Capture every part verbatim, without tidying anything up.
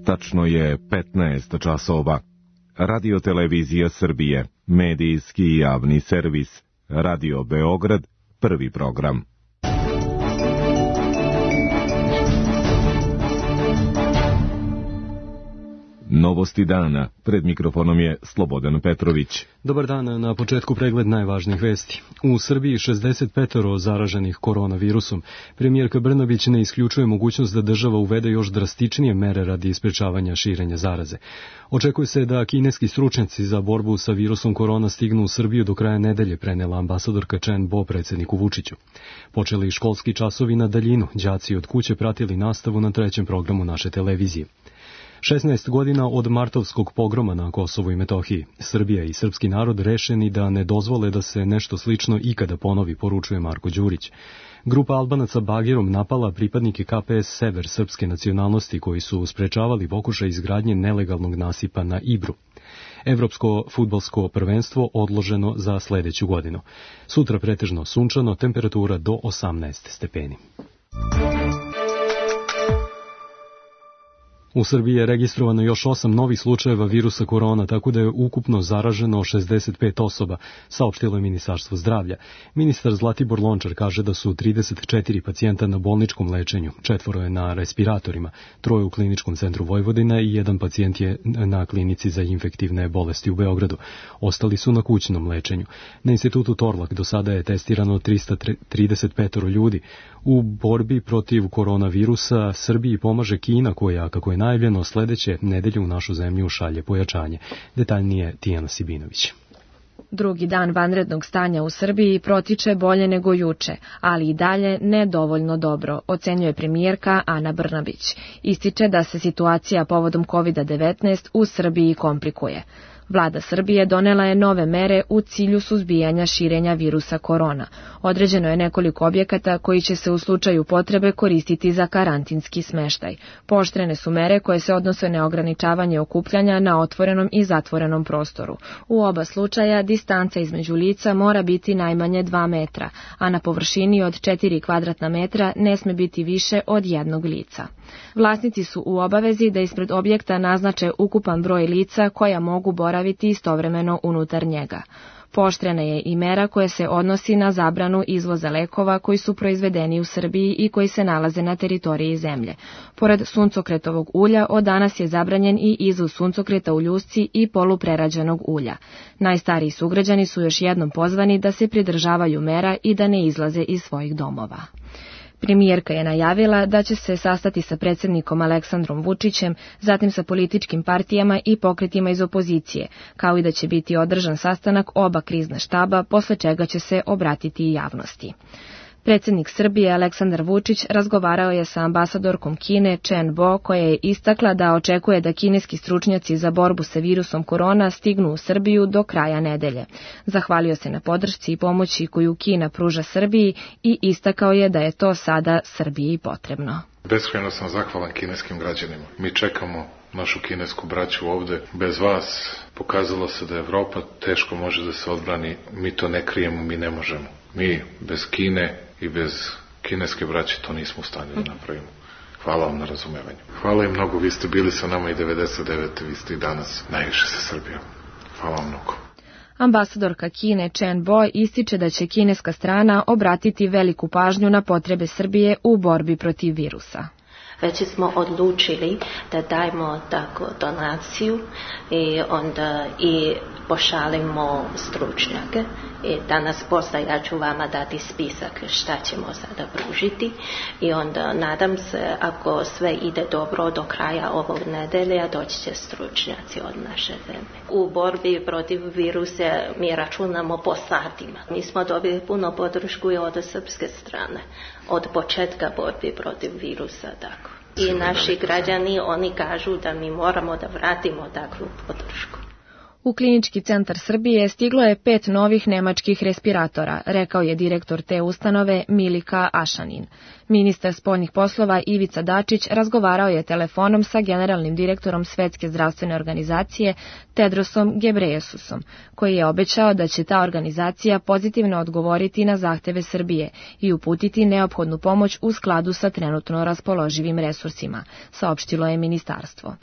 Tačno je petnaest časova. Radio Televizija Srbije, medijski i javni servis. Radio Beograd, prvi program. Novosti dana. Pred mikrofonom je Slobodan Petrović. Dobar dan, na početku pregled najvažnijih vesti. U Srbiji šezdeset petoro zaraženih koronavirusom. Premijerka Brnabić ne isključuje mogućnost da država uvede još drastičnije mere radi sprečavanja širenja zaraze. Očekuje se da kineski stručnjaci za borbu sa virusom korona stignu u Srbiju do kraja nedelje, prenela ambasadorka Chen Bo predsjedniku Vučiću. Počeli školski časovi na daljinu, đaci od kuće pratili nastavu na trećem programu naše televizije. šesnaest godina od martovskog pogroma na Kosovu i Metohiji. Srbija i srpski narod rešeni da ne dozvole da se nešto slično ikada ponovi, poručuje Marko Đurić. Grupa Albanaca bagerom napala pripadnike K P S Sever srpske nacionalnosti koji su sprečavali pokušaj izgradnje nelegalnog nasipa na Ibru. Evropsko fudbalsko prvenstvo odloženo za sledeću godinu. Sutra pretežno sunčano, temperatura do osamnaest stepeni. U Srbiji je registrovano još osam novih slučajeva virusa korona, tako da je ukupno zaraženo šezdeset pet osoba, saopštilo je Ministarstvo zdravlja. Ministar Zlatibor Lončar kaže da su trideset četiri pacijenta na bolničkom lečenju, četvoro je na respiratorima, troje u Kliničkom centru Vojvodina i jedan pacijent je na klinici za infektivne bolesti u Beogradu. Ostali su na kućnom lečenju. Na institutu Torlak do sada je testirano trista trideset pet ljudi. U borbi protiv koronavirusa Srbiji pomaže Kina koja, kako je najavljeno, sledeće nedelje u našu zemlju šalje pojačanje. Detaljnije Tijana Sibinović. Drugi dan vanrednog stanja u Srbiji protiče bolje nego juče, ali i dalje nedovoljno dobro, ocenjuje premijerka Ana Brnabić. Ističe da se situacija povodom kovid devetnaest u Srbiji komplikuje. Vlada Srbije donela je nove mere u cilju suzbijanja širenja virusa korona. Određeno je nekoliko objekata koji će se u slučaju potrebe koristiti za karantinski smeštaj. Pooštrene su mere koje se odnose na ograničavanje okupljanja na otvorenom i zatvorenom prostoru. U oba slučaja distanca između lica mora biti najmanje dva metra, a na površini od četiri kvadratna metra ne sme biti više od jednog lica. Vlasnici su u obavezi da ispred objekta naznače ukupan broj lica koja mogu boraviti istovremeno unutar njega. Pooštrena je i mera koja se odnosi na zabranu izvoza lekova koji su proizvedeni u Srbiji i koji se nalaze na teritoriji zemlje. Pored suncokretovog ulja, od danas je zabranjen i izvoz suncokreta u ljusci i poluprerađenog ulja. Najstariji sugrađani su još jednom pozvani da se pridržavaju mera i da ne izlaze iz svojih domova. Premijerka je najavila da će se sastati sa predsjednikom Aleksandrom Vučićem, zatim sa političkim partijama i pokretima iz opozicije, kao i da će biti održan sastanak oba krizna štaba, posle čega će se obratiti i javnosti. Predsjednik Srbije Aleksandar Vučić razgovarao je sa ambasadorkom Kine Chen Bo, koja je istakla da očekuje da kineski stručnjaci za borbu sa virusom korona stignu u Srbiju do kraja nedelje. Zahvalio se na podršci i pomoći koju Kina pruža Srbiji i istakao je da je to sada Srbiji potrebno. Beskrajno sam zahvalan kineskim građanima. Mi čekamo našu kinesku braću ovde. Bez vas pokazalo se da Evropa teško može da se odbrani. Mi to ne krijemo, mi ne možemo. Mi bez Kine i bez kineske braće to nismo u stanju da napravimo. Hvala vam na razumevanju. Hvala im mnogo, vi ste bili sa nama i devedeset devete. vi ste i danas najviše sa Srbijom. Hvala vam mnogo. Ambasadorka Kine Chen Bo ističe da će kineska strana obratiti veliku pažnju na potrebe Srbije u borbi protiv virusa. Već smo odlučili da dajemo tako donaciju i onda i pošalimo stručnjake. I danas posle ja ću vama dati spisak šta ćemo sada pružiti i onda nadam se ako sve ide dobro do kraja ovog nedelja doći će stručnjaci od naše zemlje. U borbi protiv virusa mi računamo po satima. Mi smo dobili puno podršku i od srpske strane, od početka borbi protiv virusa tako. I naši građani, oni kažu da mi moramo da vratimo takvu podršku. U Klinički centar Srbije stiglo je pet novih nemačkih respiratora, rekao je direktor te ustanove Milika Ašanin. Ministar spoljnih poslova Ivica Dačić razgovarao je telefonom sa generalnim direktorom Svetske zdravstvene organizacije Tedrosom Gebreyesusom, koji je obećao da će ta organizacija pozitivno odgovoriti na zahteve Srbije i uputiti neophodnu pomoć u skladu sa trenutno raspoloživim resursima, saopštilo je ministarstvo.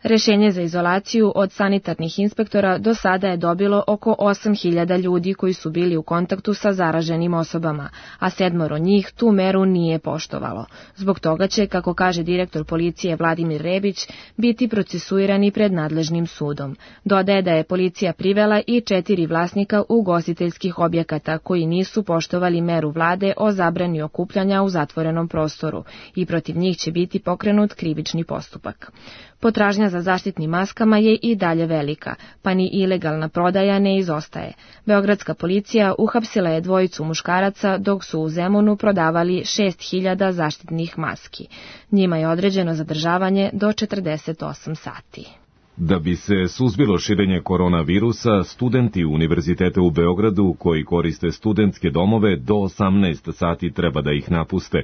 Rešenje za izolaciju od sanitarnih inspektora do sada je dobilo oko osam hiljada ljudi koji su bili u kontaktu sa zaraženim osobama, a sedmoro njih tu meru nije poštovalo. Zbog toga će, kako kaže direktor policije Vladimir Rebić, biti procesuirani pred nadležnim sudom. Dodaje da je policija privela i četiri vlasnika ugostiteljskih objekata koji nisu poštovali meru vlade o zabrani okupljanja u zatvorenom prostoru i protiv njih će biti pokrenut krivični postupak. Potražnja za zaštitnim maskama je i dalje velika, pa ni ilegalna prodaja ne izostaje. Beogradska policija uhapsila je dvojicu muškaraca dok su u Zemunu prodavali šest hiljada zaštitnih maski. Njima je određeno zadržavanje do četrdeset osam sati. Da bi se suzbilo širenje koronavirusa, studenti Univerziteta u Beogradu koji koriste studentske domove do osamnaest sati treba da ih napuste.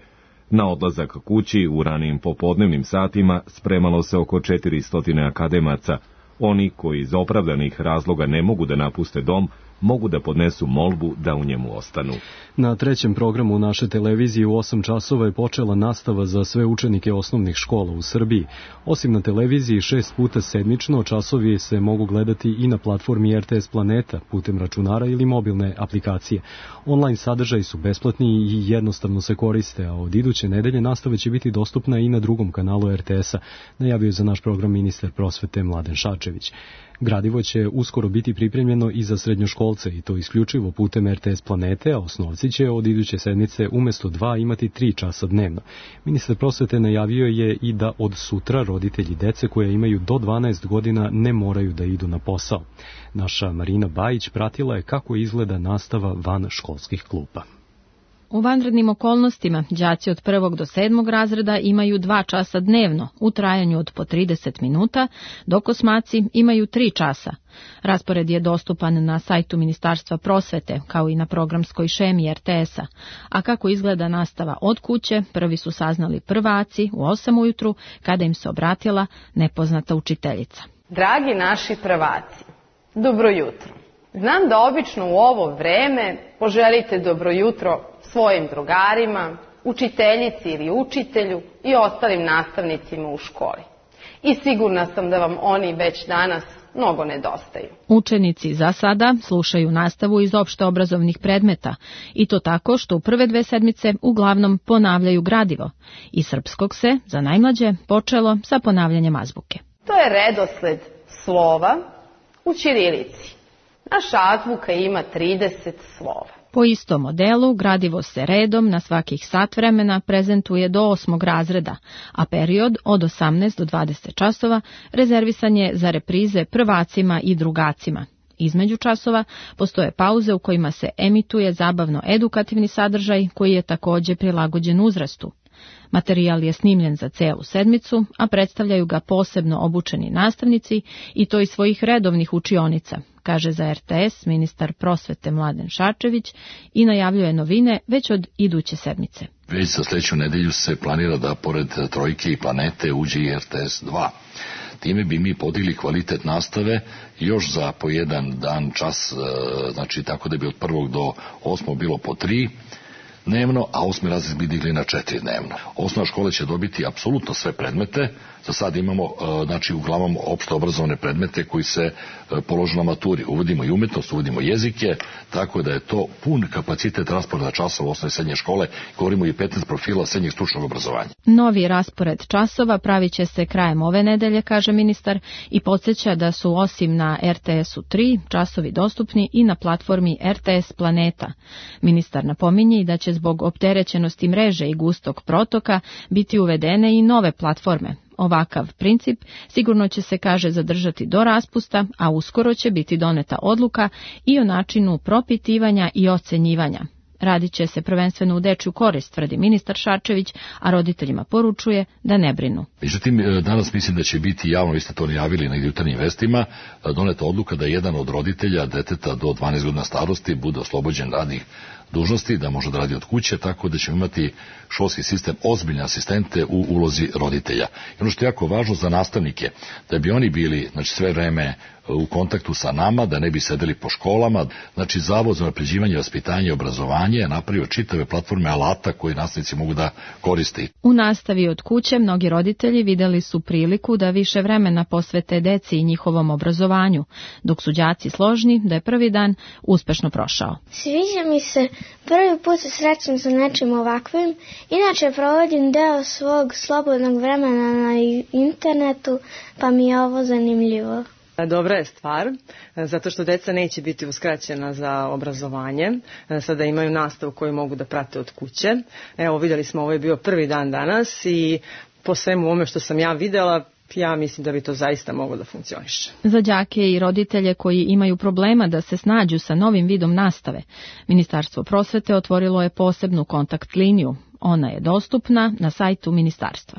Na odlazak kući u ranijim popodnevnim satima spremalo se oko četiristo akademaca. Oni koji iz opravdanih razloga ne mogu da napuste dom, mogu da podnesu molbu da u njemu ostanu. Na trećem programu naše televizije u osam časova je počela nastava za sve učenike osnovnih škola u Srbiji. Osim na televiziji šest puta sedmično, časovi se mogu gledati i na platformi R T S Planeta putem računara ili mobilne aplikacije. Online sadržaji su besplatni i jednostavno se koriste, a od iduće nedelje nastava će biti dostupna i na drugom kanalu R T S-a, najavio za naš program ministar prosvete Mladen Šarčević. Gradivo će uskoro biti pripremljeno i za srednjoškolce i to isključivo putem R T S Planete, a osnovci će od iduće sedmice umesto dva imati tri časa dnevno. Ministar prosvete najavio je i da od sutra roditelji dece koje imaju do dvanaest godina ne moraju da idu na posao. Naša Marina Bajić pratila je kako izgleda nastava van školskih klupa. U vanrednim okolnostima đaci od prvog do sedmog razreda imaju dva časa dnevno u trajanju od po trideset minuta, dok osmaci imaju tri časa. Raspored je dostupan na sajtu Ministarstva prosvete, kao i na programskoj šemi R T S-a. A kako izgleda nastava od kuće, prvi su saznali prvaci u osam ujutru, kada im se obratila nepoznata učiteljica. Dragi naši prvaci, dobro jutro. Znam da obično u ovo vreme poželite dobro jutro svojim drugarima, učiteljici ili učitelju i ostalim nastavnicima u školi. I sigurna sam da vam oni već danas mnogo nedostaju. Učenici za sada slušaju nastavu iz opšteobrazovnih predmeta i to tako što u prve dve sedmice uglavnom ponavljaju gradivo. I srpskog se, za najmlađe, počelo sa ponavljanjem azbuke. To je redosled slova u ćirilici. Naša azbuka ima trideset slova. Po istom modelu gradivo se redom na svakih sat vremena prezentuje do osmog razreda, a period od osamnaest do dvadeset časova rezervisan je za reprize prvacima i drugacima. Između časova postoje pauze u kojima se emituje zabavno-edukativni sadržaj koji je također prilagođen uzrastu. Materijal je snimljen za celu sedmicu, a predstavljaju ga posebno obučeni nastavnici i to iz svojih redovnih učionica, kaže za R T S ministar prosvete Mladen Šarčević i najavljuje novine već od iduće sedmice. Već za sljedeću nedelju se planira da pored Trojke i Planete uđe i R T S dva. Time bi mi podigli kvalitet nastave još za po jedan dan čas, znači tako da bi od prvog do osmog bilo po tri dnevno, a osmi razred bi digli na četiri dnevno. Osnovna škola će dobiti apsolutno sve predmete. Za sad imamo, znači, uglavnom opšte obrazovne predmete koji se položu na maturi. Uvodimo i umetnost, uvodimo jezike, tako da je to pun kapacitet rasporeda časova osnovne i srednje škole. Govorimo i petnaest profila srednjeg stručnog obrazovanja. Novi raspored časova pravit će se krajem ove nedelje, kaže ministar, i podsjeća da su osim na R T S-u tri časovi dostupni i na platformi R T S Planeta. Ministar napominje i da će zbog opterećenosti mreže i gustog protoka biti uvedene i nove platforme. Ovakav princip sigurno će se, kaže, zadržati do raspusta, a uskoro će biti doneta odluka i o načinu propitivanja i ocenjivanja. Radit će se prvenstveno u dečju korist, tvrdi ministar Šarčević, a roditeljima poručuje da ne brinu. Međutim, danas mislim da će biti javno, vi ste to najavili na jutarnjim vestima, doneta odluka da jedan od roditelja deteta do dvanaest godina starosti bude oslobođen radnih dužnosti, da može da radi od kuće, tako da ćemo imati školski sistem ozbiljne asistente u ulozi roditelja. I ono što je jako važno za nastavnike, da bi oni bili, znači, sve vreme u kontaktu sa nama, da ne bi sedeli po školama. Znači, Zavod za unapređivanje vaspitanja i obrazovanje je napravio čitave platforme alata koje nastavnici mogu da koriste. U nastavi od kuće mnogi roditelji videli su priliku da više vremena posvete deci i njihovom obrazovanju, dok su đaci složni da je prvi dan uspešno prošao. Sviđa mi se, prvi put se srećem sa nečim ovakvim, inače provodim deo svog slobodnog vremena na internetu, pa mi je ovo zanimljivo. Dobra je stvar, zato što deca neće biti uskraćena za obrazovanje, sada imaju nastavu koju mogu da prate od kuće. Evo, vidjeli smo, ovo je bio prvi dan danas i po svemu ovome što sam ja videla, ja mislim da bi to zaista moglo da funkcioniše. Za đake i roditelje koji imaju problema da se snađu sa novim vidom nastave, Ministarstvo prosvete otvorilo je posebnu kontakt liniju. Ona je dostupna na sajtu ministarstva.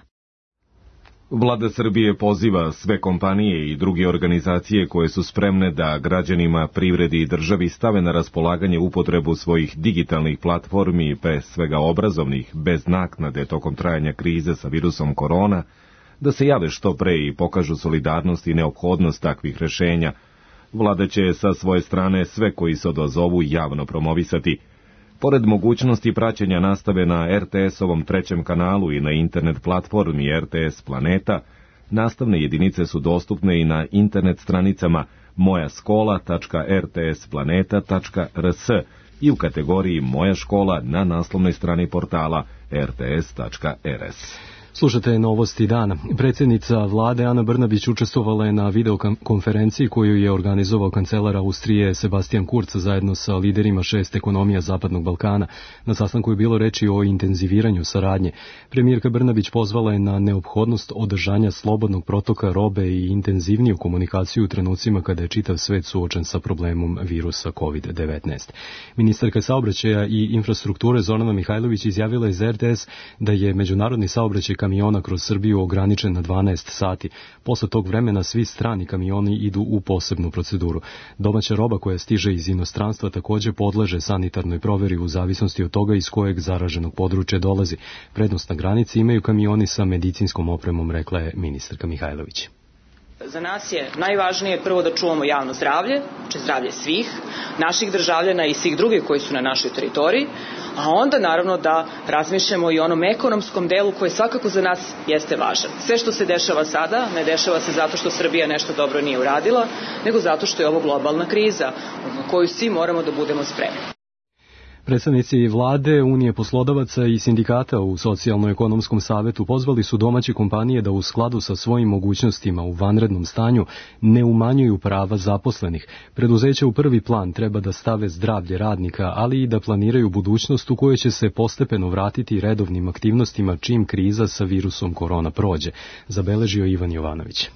Vlada Srbije poziva sve kompanije i druge organizacije koje su spremne da građanima, privredi i državi stave na raspolaganje upotrebu svojih digitalnih platformi, pre svega obrazovnih, bez naknade tokom trajanja krize sa virusom korona, da se jave što pre i pokažu solidarnost i neophodnost takvih rešenja. Vlada će sa svoje strane sve koji se odazovu javno promovisati. Pored mogućnosti praćenja nastave na er te es-ovom trećem kanalu i na internet platformi er te es Planeta, nastavne jedinice su dostupne i na internet stranicama moja škola tačka er te es planeta tačka er es i u kategoriji Moja škola na naslovnoj strani portala er te es tačka er es. Slušate novosti dana. Predsjednica vlade Ana Brnabić učestvovala je na videokonferenciji koju je organizovao kancelar Austrije Sebastian Kurz zajedno sa liderima šest ekonomija Zapadnog Balkana. Na sastanku je bilo reči o intenziviranju saradnje. Premijerka Brnabić pozvala je na neophodnost održanja slobodnog protoka robe i intenzivniju komunikaciju u trenucima kada je čitav svet suočen sa problemom virusa kovid devetnaest. Ministarka saobraćaja i infrastrukture Zorana Mihajlović izjavila je za er te es da je međunarodni saobraćaj kamiona kroz Srbiju ograničen na dvanaest sati. Posle tog vremena svi strani kamioni idu u posebnu proceduru. Domaća roba koja stiže iz inostranstva takođe podleže sanitarnoj proveri u zavisnosti od toga iz kojeg zaraženog područja dolazi. Prednost na granici imaju kamioni sa medicinskom opremom, rekla je ministarka Mihajlović. Za nas je najvažnije prvo da čuvamo javno zdravlje, znači zdravlje svih, naših državljana i svih drugih koji su na našoj teritoriji, a onda naravno da razmišljamo i o onom ekonomskom delu koji svakako za nas jeste važan. Sve što se dešava sada ne dešava se zato što Srbija nešto dobro nije uradila, nego zato što je ovo globalna kriza na koju svi moramo da budemo spremni. Predstavnici vlade, Unije poslodavaca i sindikata u Socijalno-ekonomskom savetu pozvali su domaće kompanije da u skladu sa svojim mogućnostima u vanrednom stanju ne umanjuju prava zaposlenih. Preduzeća u prvi plan treba da stave zdravlje radnika, ali i da planiraju budućnost u kojoj će se postepeno vratiti redovnim aktivnostima čim kriza sa virusom korona prođe, zabeležio Ivan Jovanović.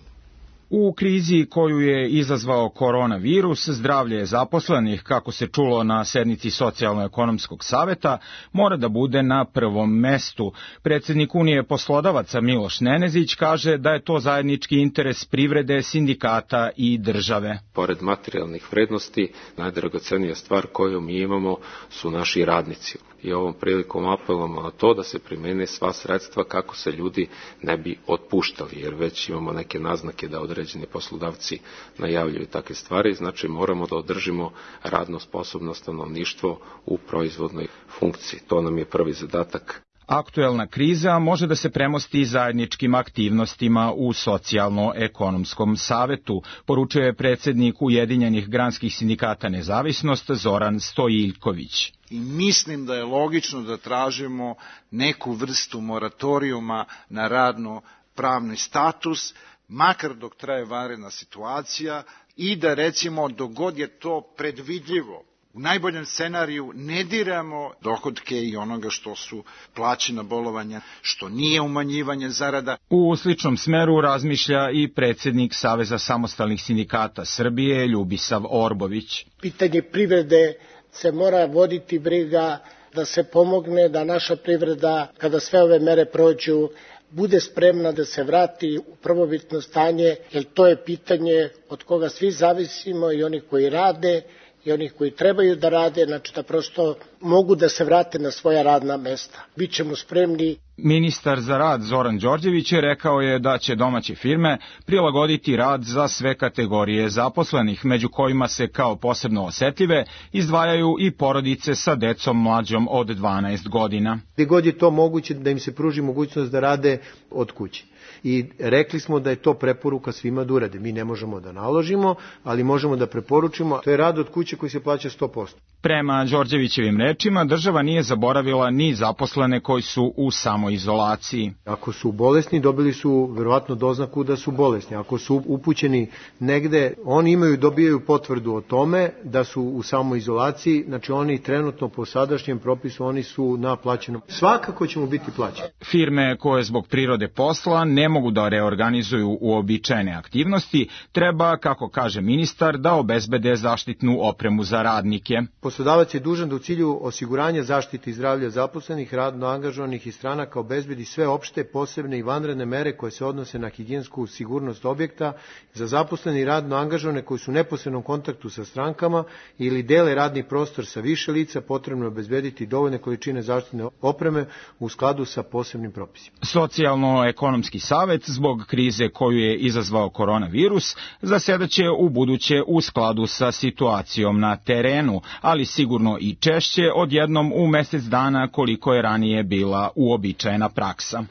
U krizi koju je izazvao koronavirus, zdravlje zaposlenih, kako se čulo na sednici Socijalno-ekonomskog saveta, mora da bude na prvom mestu. Predsjednik Unije poslodavaca Miloš Nenezić kaže da je to zajednički interes privrede, sindikata i države. Pored materijalnih vrednosti, najdragocenija stvar koju mi imamo su naši radnici. I ovom prilikom apelujemo na to da se primene sva sredstva kako se ljudi ne bi otpuštali, jer već imamo neke naznake da određeni poslodavci najavljuju takve stvari, znači moramo da održimo radno sposobno stanovništvo u proizvodnoj funkciji. To nam je prvi zadatak. Aktuelna kriza može da se premosti zajedničkim aktivnostima u Socijalno-ekonomskom savetu, poručuje predsjednik Ujedinjenih granskih sindikata Nezavisnost Zoran Stojiljković. I mislim da je logično da tražimo neku vrstu moratorijuma na radno-pravni status, makar dok traje vanredna situacija, i da recimo dok god je to predvidljivo, u najboljem scenariju ne diramo dohodke i onoga što su plaćena bolovanja, što nije umanjivanje zarada. U sličnom smeru razmišlja i predsjednik Saveza samostalnih sindikata Srbije Ljubisav Orbović. Pitanje privrede se mora voditi briga da se pomogne da naša privreda, kada sve ove mere prođu, bude spremna da se vrati u prvobitno stanje, jer to je pitanje od koga svi zavisimo, i oni koji rade i oni koji trebaju da rade, znači da prosto mogu da se vrate na svoja radna mesta. Bićemo spremni. Ministar za rad Zoran Đorđević je rekao je da će domaće firme prilagoditi rad za sve kategorije zaposlenih, među kojima se kao posebno osetljive izdvajaju i porodice sa decom mlađom od dvanaest godina. Gde god je to moguće da im se pruži mogućnost da rade od kuće. I rekli smo da je to preporuka svima da urade. Mi ne možemo da naložimo, ali možemo da preporučimo. To je rad od kuće koji se plaća sto posto. Prema Đorđevićevim rečima, država nije zaboravila ni zaposlene koji su u samoizolaciji. Ako su bolesni, dobili su verovatno doznaku da su bolesni. Ako su upućeni negde, oni imaju, dobijaju potvrdu o tome da su u samoizolaciji, znači oni trenutno po sadašnjem propisu, oni su na plaćenom. Svakako ćemo biti plaćeni. Firme koje zbog prirode posla ne mogu da reorganizuju uobičajene aktivnosti, treba, kako kaže ministar, da obezbede zaštitnu opremu za radnike. Poslodavac je dužan da u cilju osiguranja zaštite i zdravlja zaposlenih, radno angažovanih i stranaka obezbedi sve opšte, posebne i vanredne mere koje se odnose na higijensku sigurnost objekta za zaposlene i radno angažovane koji su u neposrednom kontaktu sa strankama ili dele radni prostor sa više lica, potrebno je obezbediti dovoljne količine zaštitne opreme u skladu sa posebnim propisima. Socijalno-ekonomski savet zbog krize koju je izazvao koronavirus zasedaće u buduće u skladu sa situacijom na terenu, ali sigurno i češće od jednom u mesec dana koliko je ranije bila uobičajena praksa.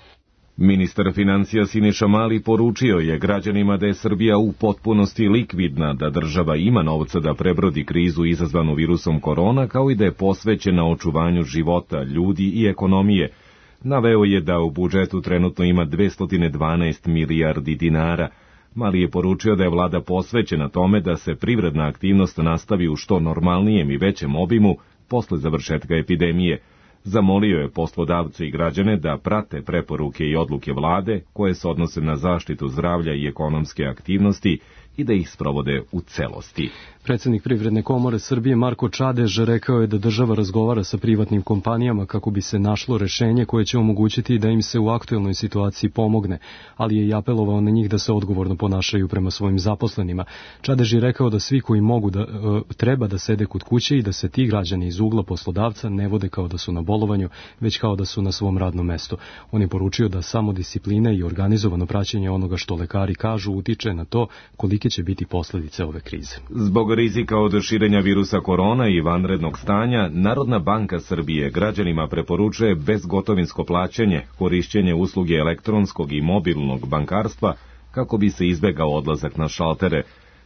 Ministar financija Siniša Mali poručio je građanima da je Srbija u potpunosti likvidna, da država ima novca da prebrodi krizu izazvanu virusom korona, kao i da je posvećena očuvanju života, ljudi i ekonomije. Naveo je da u budžetu trenutno ima dvesta dvanaest milijardi dinara. Mali je poručio da je vlada posvećena tome da se privredna aktivnost nastavi u što normalnijem i većem obimu posle završetka epidemije. Zamolio je poslodavce i građane da prate preporuke i odluke vlade koje se odnose na zaštitu zdravlja i ekonomske aktivnosti i da ih sprovode u celosti. Predsednik Privredne komore Srbije Marko Čadež rekao je da država razgovara sa privatnim kompanijama kako bi se našlo rešenje koje će omogućiti da im se u aktuelnoj situaciji pomogne, ali je i apelovao na njih da se odgovorno ponašaju prema svojim zaposlenima. Čadež je rekao da svi koji mogu da, e, treba da sede kod kuće i da se ti građani iz ugla poslodavca ne vode kao da su na bolovanju, već kao da su na svom radnom mestu. On je poručio da samo disciplina i organizovano praćenje onoga što lekari kažu utiče na to kolike će biti posledice ove krize. Zbog rizika od širenja virusa korona i vanrednog stanja, Narodna banka Srbije građanima preporučuje bezgotovinsko plaćanje, korišćenje usluge elektronskog i mobilnog bankarstva kako bi se izbegao odlazak na šaltere.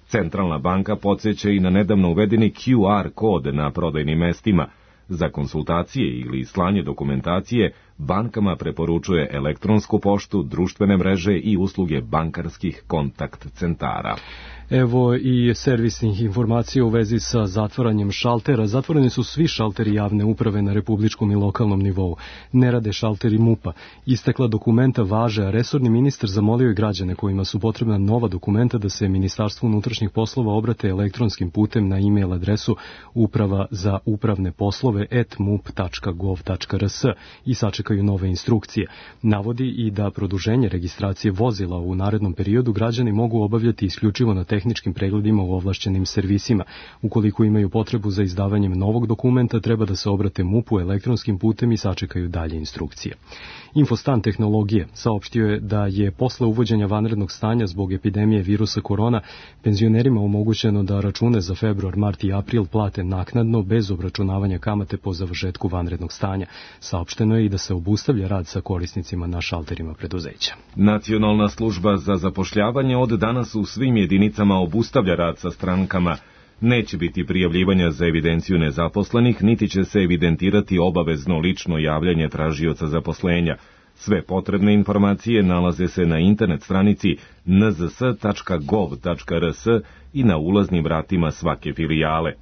Centralna banka podsjeća i na nedavno uvedeni Q R kod na prodajnim mestima. Za konsultacije ili slanje dokumentacije bankama preporučuje elektronsku poštu, društvene mreže i usluge bankarskih kontakt centara. Evo i servisnih informacija u vezi sa zatvaranjem šaltera. Zatvoreni su svi šalteri javne uprave na republičkom i lokalnom nivou. Ne rade šalteri MUP-a. Istekla dokumenta važe, a resorni ministar zamolio je građane kojima su potrebna nova dokumenta da se Ministarstvu unutrašnjih poslova obrate elektronskim putem na e-mail adresu uprava za upravne poslove at mup tačka gov tačka rs i sačekaju nove instrukcije. Navodi i da produženje registracije vozila u narednom periodu građani mogu obavljati isključivo na tehničkim pregledima u ovlašćenim servisima. Ukoliko imaju potrebu za izdavanjem novog dokumenta, treba da se obrate MUP-u elektronskim putem i sačekaju dalje instrukcije. Infostan tehnologije saopštio je da je posle uvođenja vanrednog stanja zbog epidemije virusa korona penzionerima omogućeno da račune za februar, mart i april plate naknadno bez obračunavanja kamate po završetku vanrednog stanja. Saopšteno je i da se obustavlja rad sa korisnicima na šalterima preduzeća. Nacionalna služba za zapošljavanje od danas u svim jedinicama obustavlja rad sa strankama. Neće biti prijavljivanja za evidenciju nezaposlenih, niti će se evidentirati obavezno lično javljanje tražioca zaposlenja. Sve potrebne informacije nalaze se na internet stranici n z s tačka gov tačka rs i na ulaznim vratima svake filijale.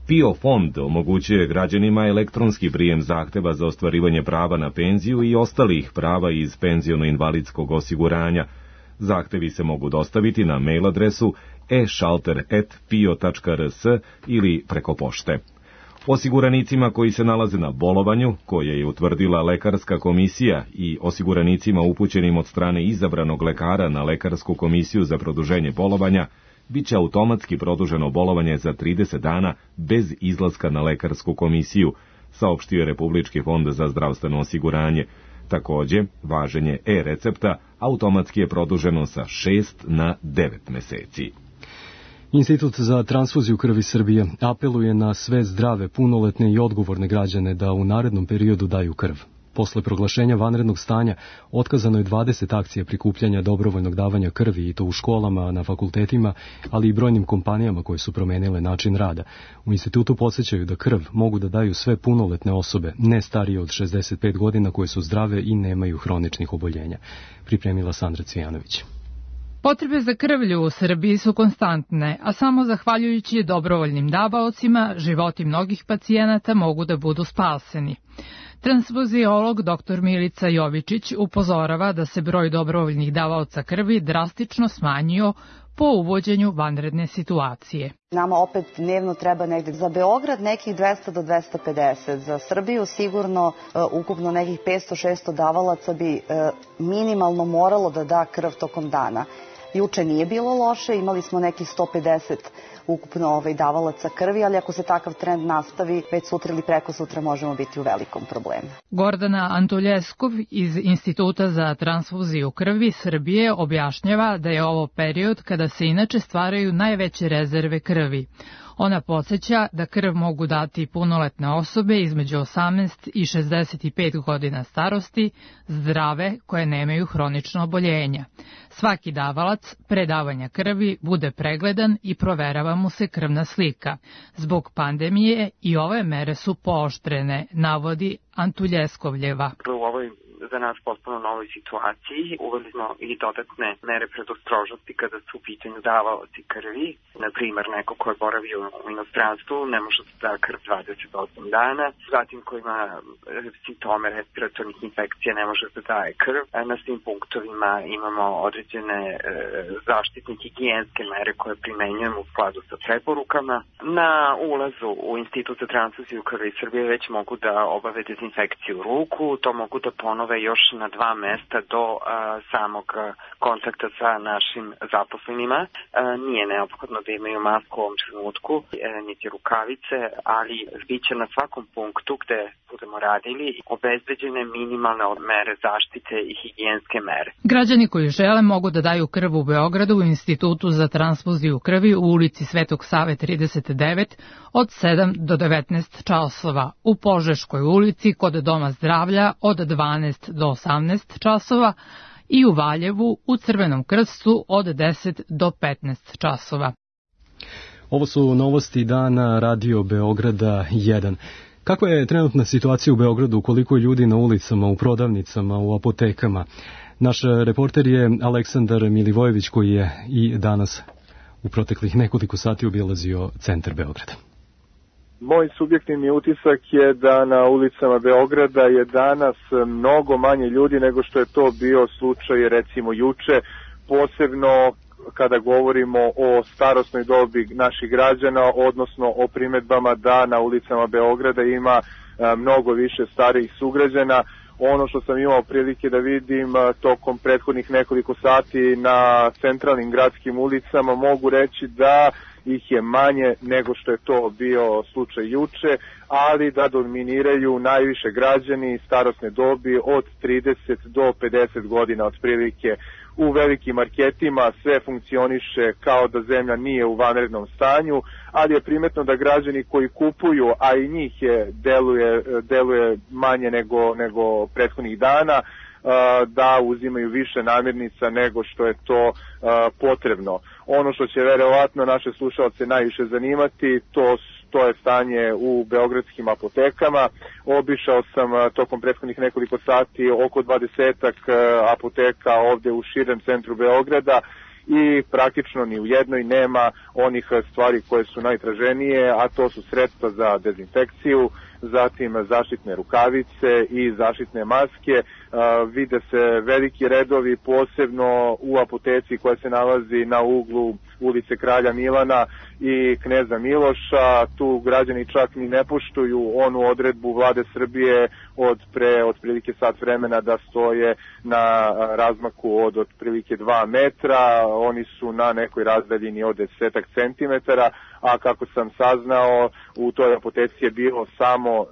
P I O fond omogućuje građanima elektronski prijem zahteva za ostvarivanje prava na penziju i ostalih prava iz penziono-invalidskog osiguranja. Zahtevi se mogu dostaviti na mail adresu e šalter at p i o tačka rs ili preko pošte. Osiguranicima koji se nalaze na bolovanju, koje je utvrdila lekarska komisija, i osiguranicima upućenim od strane izabranog lekara na lekarsku komisiju za produženje bolovanja, bit će automatski produženo bolovanje za trideset dana bez izlaska na lekarsku komisiju, saopštio je Republički fond za zdravstveno osiguranje. Takođe, važenje e-recepta automatski je produženo sa šest na devet meseci. Institut za transfuziju krvi Srbije apeluje na sve zdrave, punoletne i odgovorne građane da u narednom periodu daju krv. Posle proglašenja vanrednog stanja otkazano je dvadeset akcija prikupljanja dobrovoljnog davanja krvi, i to u školama, na fakultetima, ali i brojnim kompanijama koje su promenile način rada. U institutu podsjećaju da krv mogu da daju sve punoletne osobe, ne starije od šezdeset pet godina, koje su zdrave i nemaju hroničnih oboljenja. Pripremila Sandra Cvijanović. Potrebe za krvlju u Srbiji su konstantne, a samo zahvaljujući dobrovoljnim davaocima životi mnogih pacijenata mogu da budu spaseni. Transfuziolog doktor Milica Jovičić upozorava da se broj dobrovoljnih davaoca krvi drastično smanjio po uvođenju vanredne situacije. Nama opet dnevno treba negde za Beograd nekih dvesta do dvesta pedeset, za Srbiju sigurno uh, ukupno nekih petsto šesto davalaca bi uh, minimalno moralo da da krv tokom dana. Juče nije bilo loše, imali smo nekih sto pedeset ukupno ovaj, davalaca krvi, ali ako se takav trend nastavi, već sutra ili preko sutra možemo biti u velikom problemu. Gordana Antuljeskov iz Instituta za transfuziju krvi Srbije objašnjava da je ovo period kada se inače stvaraju najveće rezerve krvi. Ona podsjeća da krv mogu dati punoletne osobe između osamnaest i šezdeset pet godina starosti, zdrave koje nemaju hronično oboljenja. Svaki davalac pre davanja krvi bude pregledan i proverava mu se krvna slika. Zbog pandemije i ove mere su pooštrene, navodi Antuljeskovljeva. U ovoj za nas potpuno novoj situaciji uveli smo i dodatne mere predostrožnosti kada su u pitanju davaoci krvi. Na primer, neko ko je boravio u inostranstvu ne može da da krv dvadeset osam dana, zatim ko ima simptome respiratornih infekcija ne može da daje krv. Na svim punktovima imamo određene e, zaštitne higijenske mere koje primenjujemo u skladu sa preporukama. Na ulazu u Institut za transfuziju krvi Srbije već mogu da obave dezinfekciju ruku, to mogu da ponove još na dva mesta do a, samog kontakta sa našim zaposlenima. A, nije neophodno da imaju masku u ovom trenutku, e, niti rukavice, ali biće na svakom punktu gde budemo radili obezbeđene minimalne mere zaštite i higijenske mere. Građani koji žele mogu da daju krv u Beogradu u Institutu za transfuziju krvi u ulici Svetog Save trideset devet od sedam do devetnaest časova, u Požeškoj ulici kod Doma zdravlja od dvanaest do osamnaest časova i u Valjevu u Crvenom krstu od deset do petnaest časova. Ovo su novosti dana Radio Beograda jedan. Kakva je trenutna situacija u Beogradu, koliko je ljudi na ulicama, u prodavnicama, u apotekama? Naš reporter je Aleksandar Milivojević, koji je i danas u proteklih nekoliko sati obilazio centar Beograda. Moj subjektivni utisak je da na ulicama Beograda je danas mnogo manje ljudi nego što je to bio slučaj recimo juče, posebno kada govorimo o starosnoj dobi naših građana, odnosno o primedbama da na ulicama Beograda ima mnogo više starijih sugrađana. Ono što sam imao prilike da vidim tokom prethodnih nekoliko sati na centralnim gradskim ulicama, mogu reći da ih je manje nego što je to bio slučaj juče, ali da dominiraju najviše građani starosne dobi od trideset do pedeset godina otprilike. U velikim marketima sve funkcioniše kao da zemlja nije u vanrednom stanju, ali je primetno da građani koji kupuju, a i njih je deluje, deluje manje nego, nego prethodnih dana, da uzimaju više namirnica nego što je to potrebno. Ono što će verovatno naše slušalce najviše zanimati, to, to je stanje u beogradskim apotekama. Obišao sam tokom prethodnih nekoliko sati oko dvadesetak apoteka ovde u širem centru Beograda i praktično ni u jednoj nema onih stvari koje su najtraženije, a to su sredstva za dezinfekciju, zatim zaštitne rukavice i zaštitne maske. Vide se veliki redovi, posebno u apoteci koja se nalazi na uglu ulice Kralja Milana i Kneza Miloša. Tu građani čak ni ne poštuju onu odredbu vlade Srbije od pre otprilike sat vremena da stoje na razmaku od otprilike dva metra. Oni su na nekoj razdaljini od desetak centimetara, a kako sam saznao, u toj apoteci je bilo samo e,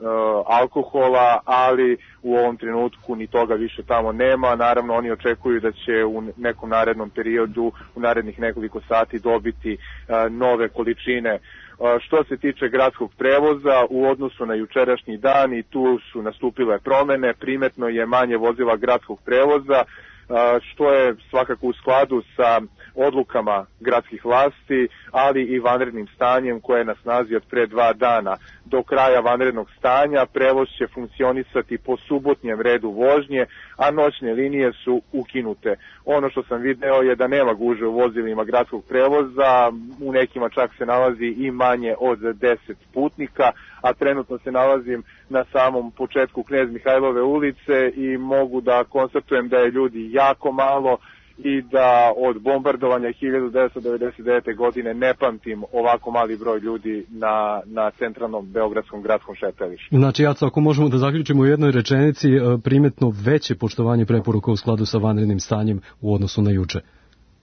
alkohola, ali u ovom trenutku ni toga više tamo nema. Naravno, oni očekuju da će u nekom narednom periodu, u narednih nekoliko sati dobiti e, nove količine. E, što se tiče gradskog prevoza, u odnosu na jučerašnji dan i tu su nastupile promene, primetno je manje vozila gradskog prevoza, što je svakako u skladu sa odlukama gradskih vlasti, ali i vanrednim stanjem koje je na snazi od pre dva dana. Do kraja vanrednog stanja prevoz će funkcionisati po subotnjem redu vožnje, a noćne linije su ukinute. Ono što sam video je da nema gužve u vozilima gradskog prevoza, u nekima čak se nalazi i manje od deset putnika, a trenutno se nalazim na samom početku Knez Mihajlove ulice i mogu da konstatujem da je ljudi jako malo i da od bombardovanja hiljadu devetsto devedeset devete. godine ne pamtim ovako mali broj ljudi na, na centralnom beogradskom gradskom šetalištu. Znači, Jaco, ako možemo da zaključimo u jednoj rečenici, primetno veće poštovanje preporuka u skladu sa vanrednim stanjem u odnosu na juče.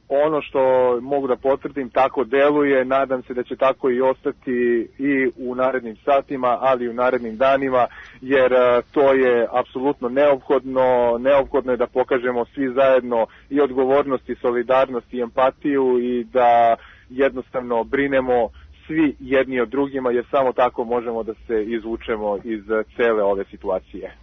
Ono što mogu da potvrdim, tako deluje, nadam se da će tako i ostati i u narednim satima, ali i u narednim danima, jer to je apsolutno neophodno, neophodno je da pokažemo svi zajedno i odgovornost i solidarnost i empatiju i da jednostavno brinemo svi jedni od drugima, jer samo tako možemo da se izvučemo iz cele ove situacije.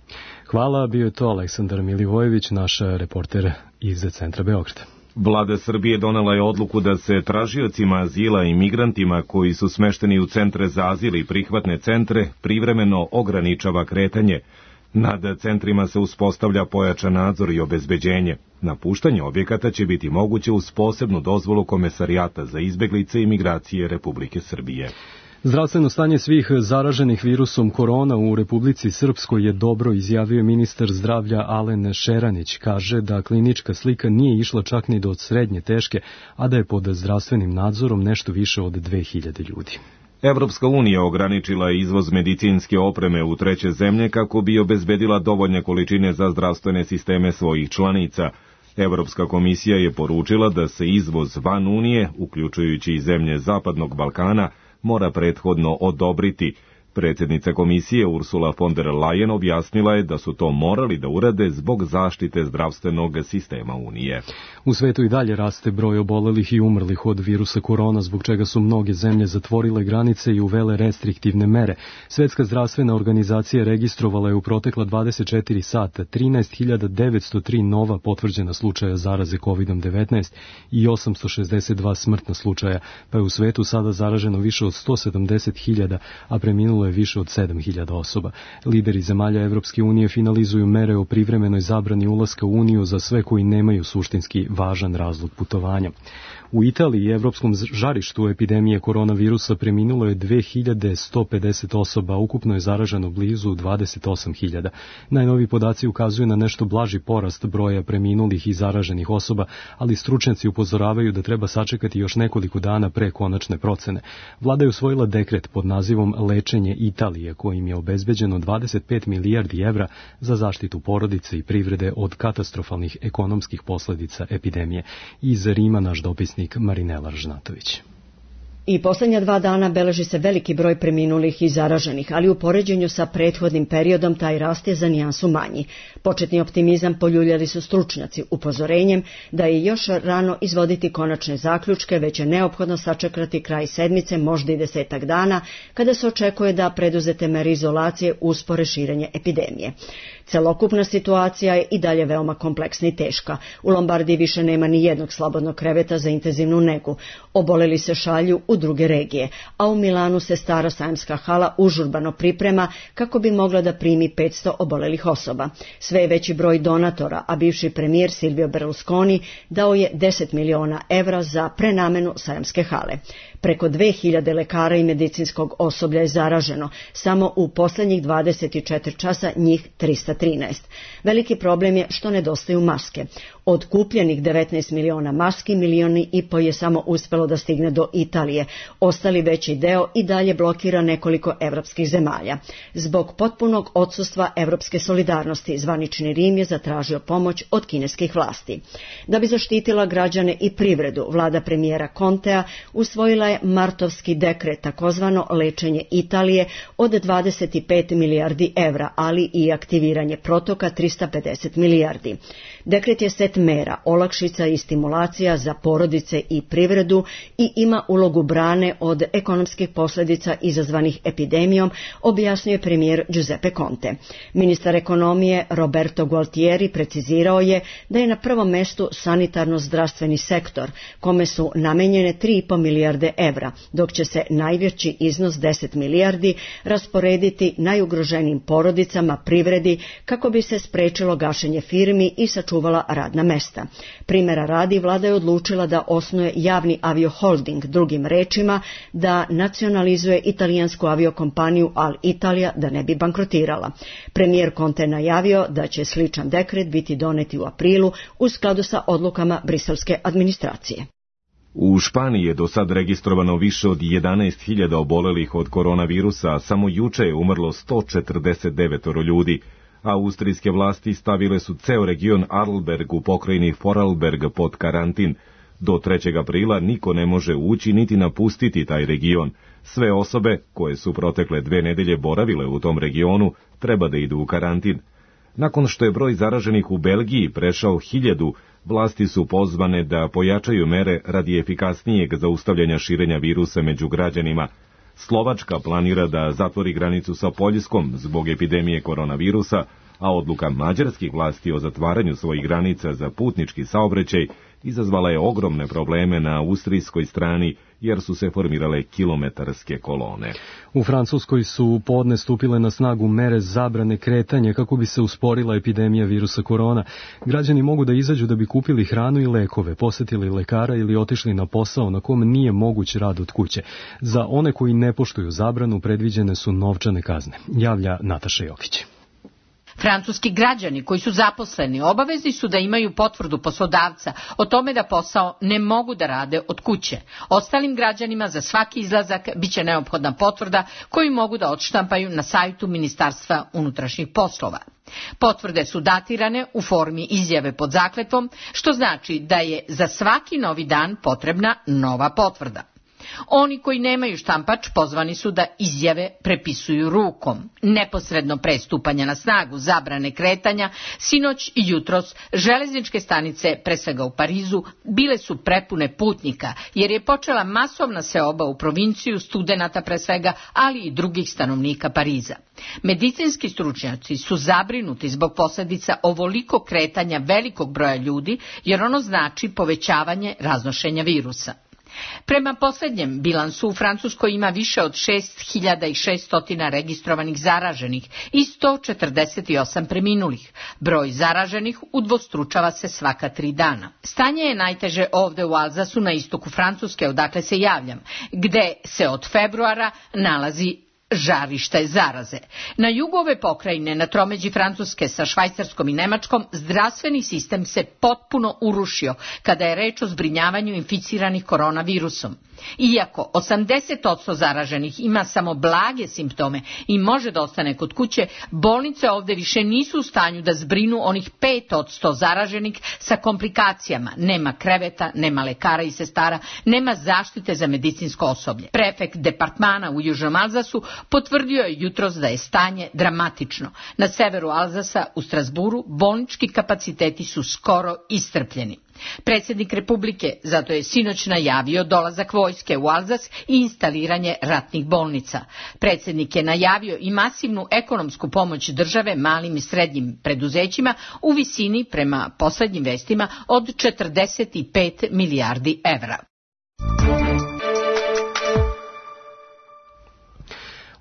Hvala, bio je to Aleksandar Milivojević, naš reporter iz centra Beograda. Vlada Srbije donela je odluku da se tražiocima azila i migrantima koji su smešteni u centre za azil i prihvatne centre privremeno ograničava kretanje. Nad centrima se uspostavlja pojačan nadzor i obezbeđenje. Napuštanje objekata će biti moguće uz posebnu dozvolu Komesarijata za izbeglice i migracije Republike Srbije. Zdravstveno stanje svih zaraženih virusom korona u Republici Srpskoj je dobro, izjavio ministar zdravlja Alen Šeranić. Kaže da klinička slika nije išla čak ni do srednje teške, a da je pod zdravstvenim nadzorom nešto više od dve hiljade ljudi. Evropska unija ograničila je izvoz medicinske opreme u treće zemlje kako bi obezbedila dovoljne količine za zdravstvene sisteme svojih članica. Evropska komisija je poručila da se izvoz van Unije, uključujući i zemlje Zapadnog Balkana, mora prethodno odobriti. Predsjednica komisije Ursula von der Leyen objasnila je da su to morali da urade zbog zaštite zdravstvenog sistema Unije. U svetu i dalje raste broj obolelih i umrlih od virusa korona, zbog čega su mnoge zemlje zatvorile granice i uvele restriktivne mere. Svetska zdravstvena organizacija registrovala je u protekla dvadeset četiri sata trinaest hiljada devetsto tri nova potvrđena slučaja zaraze kovidom devetnaest i osamsto šezdeset dva smrtna slučaja, pa je u svetu sada zaraženo više od sto sedamdeset hiljada, a preminulo je više od sedam hiljada osoba. Lideri zemalja Evropske unije finalizuju mere o privremenoj zabrani ulaska u Uniju za sve koji nemaju suštinski važan razlog putovanja. U Italiji i evropskom žarištu epidemije koronavirusa preminulo je dve hiljade sto pedeset osoba, ukupno je zaraženo blizu dvadeset osam hiljada. Najnoviji podaci ukazuju na nešto blaži porast broja preminulih i zaraženih osoba, ali stručnjaci upozoravaju da treba sačekati još nekoliko dana pre konačne procene. Vlada je usvojila dekret pod nazivom Lečenje Italije, kojim je obezbeđeno dvadeset pet milijardi evra za zaštitu porodice i privrede od katastrofalnih ekonomskih posledica epidemije. Iz Rima naš dopisnik Marinela Žnatović. I poslednja dva dana beleži se veliki broj preminulih i zaraženih, ali u poređenju sa prethodnim periodom taj rast je za nijansu manji. Početni optimizam poljuljali su stručnjaci upozorenjem da je još rano izvoditi konačne zaključke, već je neophodno sačekati kraj sedmice, možda i desetak dana, kada se očekuje da preduzete mere izolacije uspore širenje epidemije. Celokupna situacija je i dalje veoma kompleksna i teška. U Lombardiji više nema ni jednog slobodnog kreveta za intenzivnu negu. Oboleli se šalju u druge regije, a u Milanu se stara sajamska hala užurbano priprema kako bi mogla da primi petsto obolelih osoba. Sve je veći broj donatora, a bivši premijer Silvio Berlusconi dao je deset miliona evra za prenamenu sajamske hale. Preko dve hiljade lekara i medicinskog osoblja je zaraženo, samo u poslednjih dvadeset četiri časa njih trista trinaest. Veliki problem je što nedostaju maske. Od kupljenih devetnaest miliona maski, milioni i po je samo uspelo da stigne do Italije. Ostali veći deo i dalje blokira nekoliko evropskih zemalja. Zbog potpunog odsustva evropske solidarnosti, zvanični Rim je zatražio pomoć od kineskih vlasti. Da bi zaštitila građane i privredu, vlada premijera Contea usvojila je martovski dekret, takozvano lečenje Italije od dvadeset pet milijardi evra, ali i aktiviranje protoka trista pedeset milijardi. Dekret je set mera, olakšica i stimulacija za porodice i privredu i ima ulogu brane od ekonomskih posljedica izazvanih epidemijom, objasnio je premijer Giuseppe Conte. Ministar ekonomije Roberto Gualtieri precizirao je da je na prvom mestu sanitarno-zdravstveni sektor, kome su namenjene tri i po milijarde evra, dok će se najveći iznos deset milijardi rasporediti najugroženijim porodicama, privredi, kako bi se sprečilo gašenje firmi i sačuvala radna mesta. Primjera radi, vlada je odlučila da osnuje javni avioholding, drugim rečima da nacionalizuje italijansku aviokompaniju Alitalia da ne bi bankrotirala. Premijer Conte najavio da će sličan dekret biti doneti u aprilu u skladu sa odlukama briselske administracije. U Španiji je do sad registrovano više od jedanaest hiljada obolelih od koronavirusa, a samo juče je umrlo sto četrdeset devet ljudi. Austrijske vlasti stavile su ceo region Arlberg u pokrajini Vorarlberg pod karantin. Do trećeg aprila niko ne može ući niti napustiti taj region. Sve osobe koje su protekle dve nedelje boravile u tom regionu treba da idu u karantin. Nakon što je broj zaraženih u Belgiji prešao hiljadu, vlasti su pozvane da pojačaju mere radi efikasnijeg zaustavljanja širenja virusa među građanima. Slovačka planira da zatvori granicu sa Poljskom zbog epidemije koronavirusa, a odluka mađarskih vlasti o zatvaranju svojih granica za putnički saobraćaj izazvala je ogromne probleme na austrijskoj strani, jer su se formirale kilometarske kolone. U Francuskoj su podne stupile na snagu mere zabrane kretanja kako bi se usporila epidemija virusa korona. Građani mogu da izađu da bi kupili hranu i lekove, posetili lekara ili otišli na posao na kom nije moguć rad od kuće. Za one koji ne poštuju zabranu predviđene su novčane kazne, javlja Nataša Jokić. Francuski građani koji su zaposleni obavezni su da imaju potvrdu poslodavca o tome da posao ne mogu da rade od kuće. Ostalim građanima za svaki izlazak biće neophodna potvrda koju mogu da odštampaju na sajtu Ministarstva unutrašnjih poslova. Potvrde su datirane u formi izjave pod zakletvom, što znači da je za svaki novi dan potrebna nova potvrda. Oni koji nemaju štampač pozvani su da izjave prepisuju rukom. Neposredno pre stupanja na snagu zabrane kretanja, sinoć i jutros železničke stanice, pre svega u Parizu, bile su prepune putnika, jer je počela masovna seoba u provinciju studenata pre svega, ali i drugih stanovnika Pariza. Medicinski stručnjaci su zabrinuti zbog posljedica ovoliko kretanja velikog broja ljudi, jer ono znači povećavanje raznošenja virusa. Prema posljednjem bilansu u Francuskoj ima više od šest hiljada šesto registrovanih zaraženih i sto četrdeset osam preminulih. Broj zaraženih udvostručava se svaka tri dana. Stanje je najteže ovde u Alzasu na istoku Francuske, odakle se javljam, gde se od februara nalazi žarište zaraze. Na jugu ove pokrajine, na tromeđi Francuske sa Švajcarskom i Nemačkom, zdravstveni sistem se potpuno urušio kada je reč o zbrinjavanju inficiranih koronavirusom. Iako osamdeset posto zaraženih ima samo blage simptome i može da ostane kod kuće, bolnice ovde više nisu u stanju da zbrinu onih pet posto zaraženih sa komplikacijama. Nema kreveta, nema lekara i sestara, nema zaštite za medicinsko osoblje. Prefekt departmana u Južnom Alzasu potvrdio je jutros da je stanje dramatično. Na severu Alzasa, u Strasburu, bolnički kapaciteti su skoro iscrpljeni. Predsjednik Republike zato je sinoć najavio dolazak vojske u Alzas i instaliranje ratnih bolnica. Predsjednik je najavio i masivnu ekonomsku pomoć države malim i srednjim preduzećima u visini, prema poslednjim vestima, od četrdeset pet milijardi evra.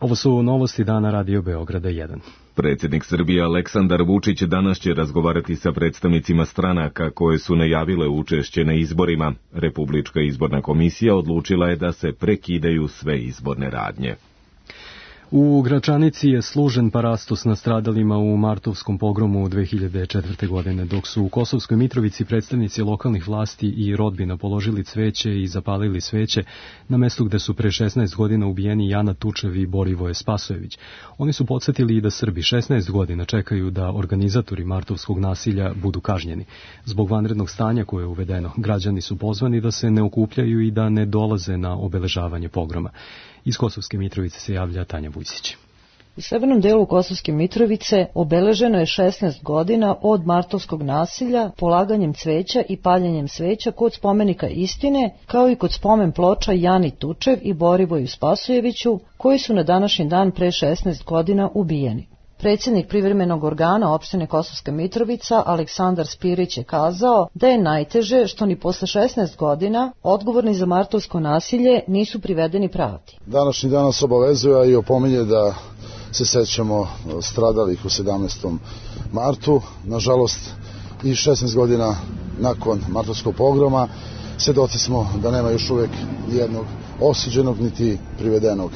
Ovo su novosti dana Radio Beograda jedan. Predsjednik Srbije Aleksandar Vučić danas će razgovarati sa predstavnicima stranaka koje su najavile učešće na izborima. Republička izborna komisija odlučila je da se prekidaju sve izborne radnje. U Gračanici je služen parastos nastradalima u martovskom pogromu dve hiljade četvrte. godine, dok su u Kosovskoj Mitrovici predstavnici lokalnih vlasti i rodbina položili cveće i zapalili sveće na mestu gde su pre šesnaest godina ubijeni Jana Tučev i Borivoje Spasojević. Oni su podsjetili i da Srbi šesnaest godina čekaju da organizatori martovskog nasilja budu kažnjeni. Zbog vanrednog stanja koje je uvedeno, građani su pozvani da se ne okupljaju i da ne dolaze na obeležavanje pogroma. Iz Kosovske Mitrovice se javlja Tanja Vujsić. U severnom delu Kosovske Mitrovice obeleženo je šesnaest godina od martovskog nasilja polaganjem cveća i paljenjem sveća kod spomenika Istine, kao i kod spomen ploča Jani Tučev i Borivoju Spasojeviću, koji su na današnji dan pre šesnaest godina ubijeni. Predsjednik privremenog organa opštine Kosovska Mitrovica Aleksandar Spirić je kazao da je najteže što ni posle šesnaest godina odgovorni za martovsko nasilje nisu privedeni pravdi. Današnji dan nas obavezuje i opominje da se sećamo stradalih u sedamnaestom martu. Nažalost, i šesnaest godina nakon martovskog pogroma svedoci smo da nema još uvek jednog osuđenog niti privedenog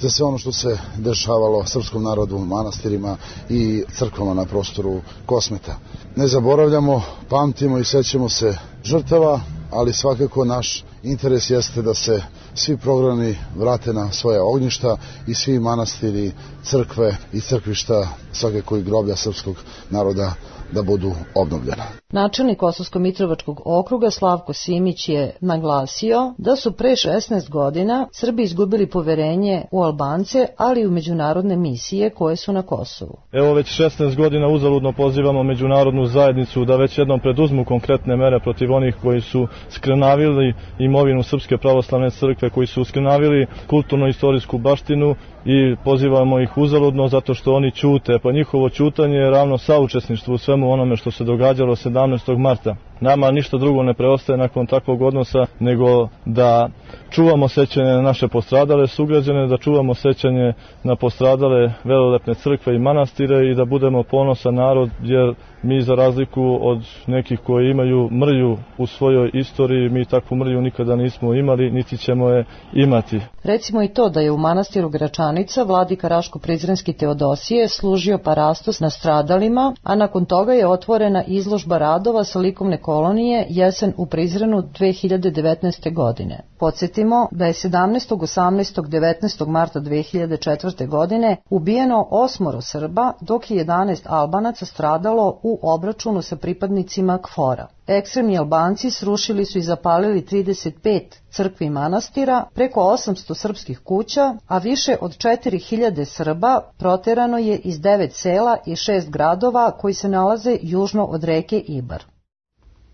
za sve ono što se dešavalo srpskom narodu, manastirima i crkvama na prostoru Kosmeta. Ne zaboravljamo, pamtimo i sećamo se žrtava, ali svakako naš interes jeste da se svi programi vrate na svoje ognjišta i svi manastiri, crkve i crkvišta, svakako i groblja srpskog naroda da budu obnovljena. Načelnik Kosovsko-Mitrovačkog okruga Slavko Simić je naglasio da su pre šesnaest godina Srbi izgubili poverenje u Albance, ali i u međunarodne misije koje su na Kosovu. Evo već šesnaest godina uzaludno pozivamo međunarodnu zajednicu da već jednom preduzmu konkretne mere protiv onih koji su skrnavili imovinu Srpske pravoslavne crkve, koji su skrnavili kulturno-istorijsku baštinu i pozivamo ih uzaludno zato što oni ćute, pa njihovo ćutanje je ravno saučesništvu u svemu onome što se događalo sedamnaestog marta. Nama ništa drugo ne preostaje nakon takvog odnosa nego da čuvamo sećanje na naše postradale sugrađane, da čuvamo sećanje na postradale velelepne crkve i manastire i da budemo ponosan narod, jer mi za razliku od nekih koji imaju mrlju u svojoj istoriji, mi takvu mrlju nikada nismo imali, niti ćemo je imati. Recimo i to da je u manastiru Gračanica vladika Raško-Prizrenski Teodosije služio parastos nastradalima, a nakon toga je otvorena izložba radova sa likovne kolonije Jesen u Prizrenu dve hiljade devetnaeste. godine. Podsjetimo da je sedamnaestog, osamnaestog, devetnaestog marta dve hiljade četvrte. godine ubijeno osmoro Srba, dok je jedanaest Albanaca stradalo u obračunu sa pripadnicima KFOR-a. Ekstremni Albanci srušili su i zapalili trideset pet crkvi i manastira, preko osamsto srpskih kuća, a više od četiri hiljade Srba proterano je iz devet sela i šest gradova koji se nalaze južno od reke Ibar.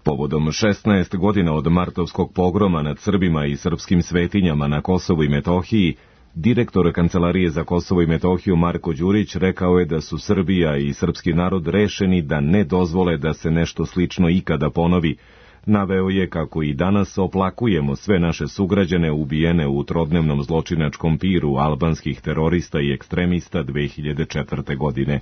Povodom šesnaest godina od martovskog pogroma nad Srbima i srpskim svetinjama na Kosovu i Metohiji, direktor Kancelarije za Kosovo i Metohiju Marko Đurić rekao je da su Srbija i srpski narod rešeni da ne dozvole da se nešto slično ikada ponovi. Naveo je kako i danas oplakujemo sve naše sugrađane ubijene u trodnevnom zločinačkom piru albanskih terorista i ekstremista dve hiljade četvrte. godine.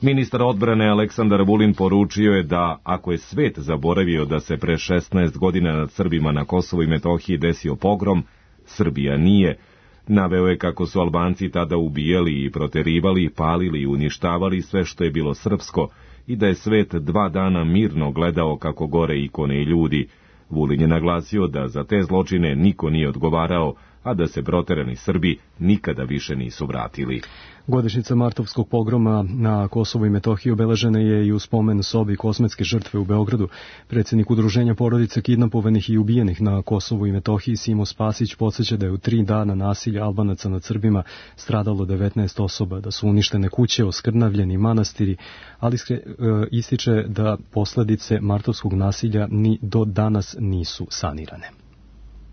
Ministar odbrane Aleksandar Vulin poručio je da, ako je svet zaboravio da se pre šesnaest godina nad Srbima na Kosovu i Metohiji desio pogrom, Srbija nije. Naveo je kako su Albanci tada ubijali i proterivali, palili i uništavali sve što je bilo srpsko i da je svet dva dana mirno gledao kako gore ikone i ljudi. Vulin je naglasio da za te zločine niko nije odgovarao, a da se proterani Srbi nikada više nisu vratili. Godišnjica martovskog pogroma na Kosovu i Metohiji obeležena je i u spomen sobi Kosmetske žrtve u Beogradu. Predsjednik Udruženja porodica kidnapovanih i ubijenih na Kosovu i Metohiji Simo Spasić podsjeća da je u tri dana nasilja Albanaca nad Srbima stradalo devetnaest osoba, da su uništene kuće, oskrnavljeni manastiri, ali ističe da posledice martovskog nasilja ni do danas nisu sanirane.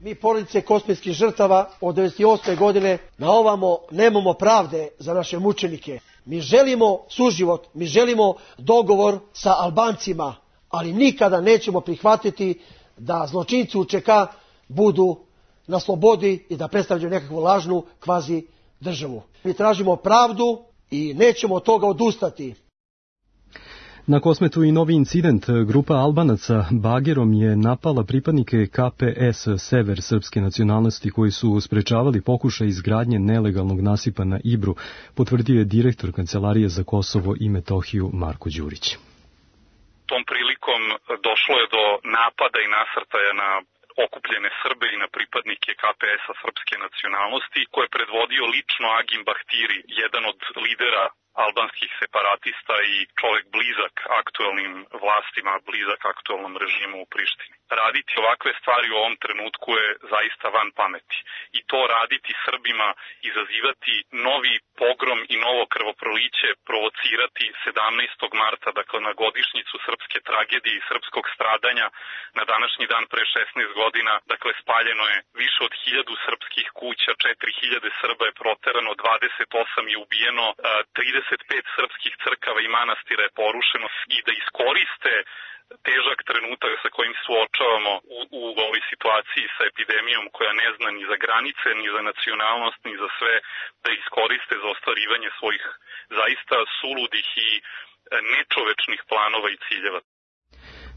Mi porodice kosmetskih žrtava od devedeset osme. godine na ovamo nemamo pravde za naše mučenike. Mi želimo suživot, mi želimo dogovor sa Albancima, ali nikada nećemo prihvatiti da zločinci U Č K budu na slobodi i da predstavljaju nekakvu lažnu kvazi državu. Mi tražimo pravdu i nećemo od toga odustati. Na Kosmetu i novi incident. Grupa Albanaca bagerom je napala pripadnike K P S Sever srpske nacionalnosti koji su sprečavali pokušaj izgradnje nelegalnog nasipa na Ibru, potvrdio je direktor Kancelarije za Kosovo i Metohiju Marko Đurić. Tom prilikom došlo je do napada i nasrtaja na okupljene Srbe i na pripadnike K P S-a srpske nacionalnosti, koje je predvodio lično Agim Bahtiri, jedan od lidera albanskih separatista i čovjek blizak aktuelnim vlastima, blizak aktuelnom režimu u Prištini. Raditi ovakve stvari u ovom trenutku je zaista van pameti. I to raditi Srbima, izazivati novi pogrom i novo krvoproliće, provocirati sedamnaestog marta, dakle na godišnjicu srpske tragedije i srpskog stradanja, na današnji dan pre šesnaest godina, dakle spaljeno je više od hiljadu srpskih kuća, četiri hiljade Srba je proterano, dvadeset osam je ubijeno, trideset pet srpskih crkava i manastira je porušeno, i da iskoriste težak trenutak sa kojim suočavamo u, u ovoj situaciji sa epidemijom koja ne zna ni za granice, ni za nacionalnost, ni za sve, da iskoriste za ostvarivanje svojih zaista suludih i nečovečnih planova i ciljeva.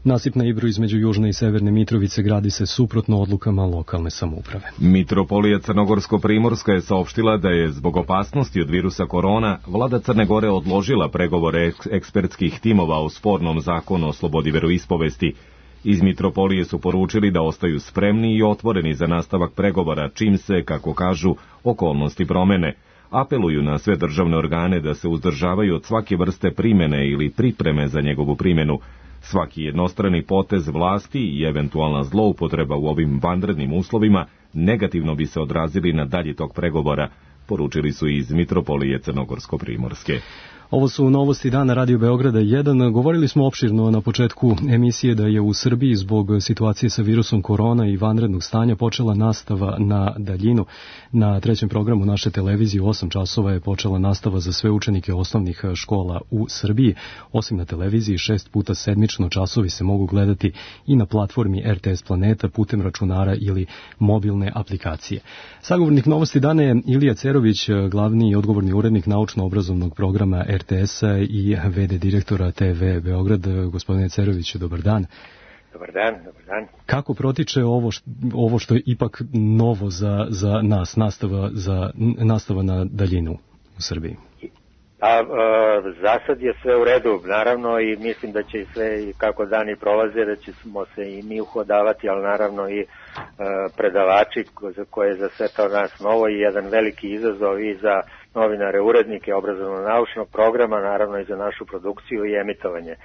Nasip na Ibru između Južne i Severne Mitrovice gradi se suprotno odlukama lokalne samouprave. Mitropolija Crnogorsko-Primorska je saopštila da je zbog opasnosti od virusa korona vlada Crne Gore odložila pregovore ekspertskih timova o spornom zakonu o slobodi veroispovesti. Iz Mitropolije su poručili da ostaju spremni i otvoreni za nastavak pregovora čim se, kako kažu, okolnosti promene. Apeluju na sve državne organe da se uzdržavaju od svake vrste primene ili pripreme za njegovu primjenu. Svaki jednostrani potez vlasti i eventualna zloupotreba u ovim vanrednim uslovima negativno bi se odrazili na dalji tok pregovora, poručili su iz Mitropolije Crnogorsko-Primorske. Ovo su novosti dana Radio Beograda jedan. Govorili smo opširno na početku emisije da je u Srbiji zbog situacije sa virusom korona i vanrednog stanja počela nastava na daljinu. Na trećem programu naše televizije u osam časova je počela nastava za sve učenike osnovnih škola u Srbiji. Osim na televiziji, šest puta sedmično časovi se mogu gledati i na platformi R T S Planeta putem računara ili mobilne aplikacije. Sagovornik novosti dana je Ilija Cerović, glavni i odgovorni urednik naučno-obrazovnog programa R T S-a i V D direktora T V Beograd. Gospodine Ceroviću, dobar dan. Dobar dan, dobar dan. Kako protiče ovo što, ovo što je ipak novo za, za nas, nastava, za, nastava na daljinu u Srbiji? A, a, za sad je sve u redu, naravno, i mislim da će i sve, i kako dani prolaze, da ćemo se i mi uhodavati, ali naravno i a, predavači koje je za sve to nas novo i jedan veliki izazov i za novinare, urednike obrazovno-naučnog programa, naravno i za našu produkciju i emitovanje.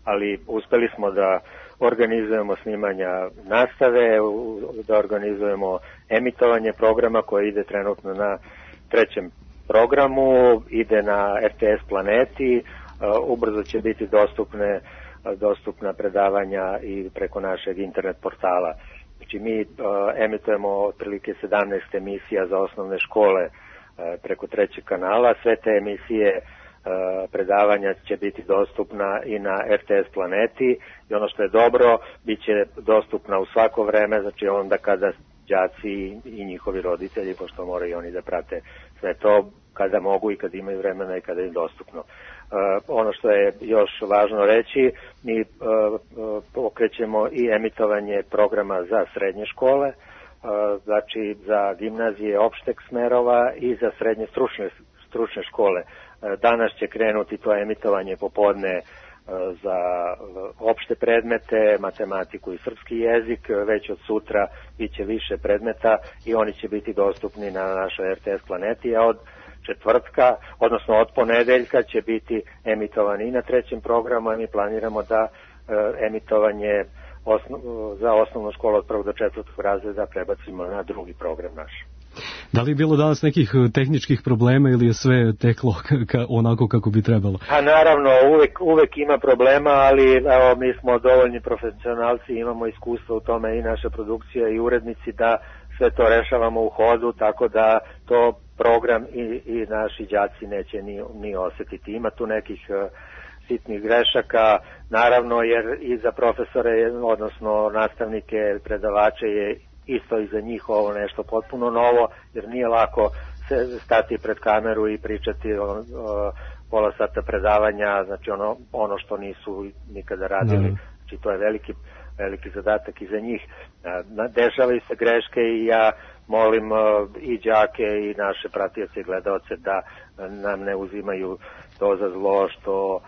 Ali uspeli smo da organizujemo snimanja nastave, da organizujemo emitovanje programa koje ide trenutno na trećem programu, ide na R T S Planeti, ubrzo će biti dostupne, dostupna predavanja i preko našeg internet portala. Znači mi emitujemo otprilike sedamnaest emisija za osnovne škole preko trećeg kanala. Sve te emisije predavanja će biti dostupna i na R T S Planeti i ono što je dobro, bit će dostupna u svako vreme, znači onda kada đaci i njihovi roditelji, pošto moraju oni da prate sve to kada mogu i kada imaju vremena i kada je dostupno. Ono što je još važno reći, mi pokrećemo i emitovanje programa za srednje škole, znači za gimnazije opšteg smerova i za srednje stručne, stručne škole. Danas će krenuti to emitovanje popodne za opšte predmete, matematiku i srpski jezik, već od sutra bit će više predmeta i oni će biti dostupni na našoj R T S Planeti, a od četvrtka, odnosno od ponedeljka će biti emitovani i na trećem programu, a mi planiramo da emitovanje osnov, za osnovnu školu od prvog do četvrtog razreda prebacimo na drugi program naš. Da li je bilo danas nekih tehničkih problema ili je sve teklo ka, onako kako bi trebalo? A naravno, uvek, uvek ima problema, ali evo, mi smo dovoljni profesionalci, imamo iskustvo u tome i naša produkcija i urednici da sve to rešavamo u hodu, tako da to program i, i naši đaci neće ni, ni osetiti. Ima tu nekih uh, sitnih grešaka, naravno, jer i za profesore, odnosno nastavnike, predavače je isto i za njih ovo nešto potpuno novo, jer nije lako stati pred kameru i pričati o, o pola sata predavanja, znači ono, ono što nisu nikada radili, znači to je veliki, veliki zadatak i za njih. Dešavaju se greške i ja molim i đake i naše pratioce i gledaoce da nam ne uzimaju to za zlo što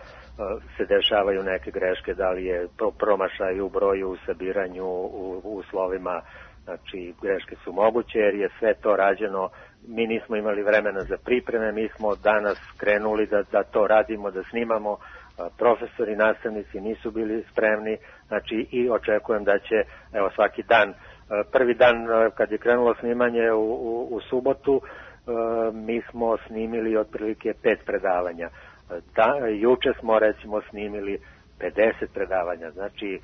se dešavaju neke greške, da li je promašaj u broju, u sabiranju, u, u slovima, znači greške su moguće jer je sve to rađeno, mi nismo imali vremena za pripreme, mi smo danas krenuli da, da to radimo, da snimamo, profesori, nastavnici nisu bili spremni, znači i očekujem da će, evo svaki dan, prvi dan kad je krenulo snimanje u, u, u subotu, mi smo snimili otprilike pet predavanja. Da, juče smo recimo snimili pedeset predavanja, znači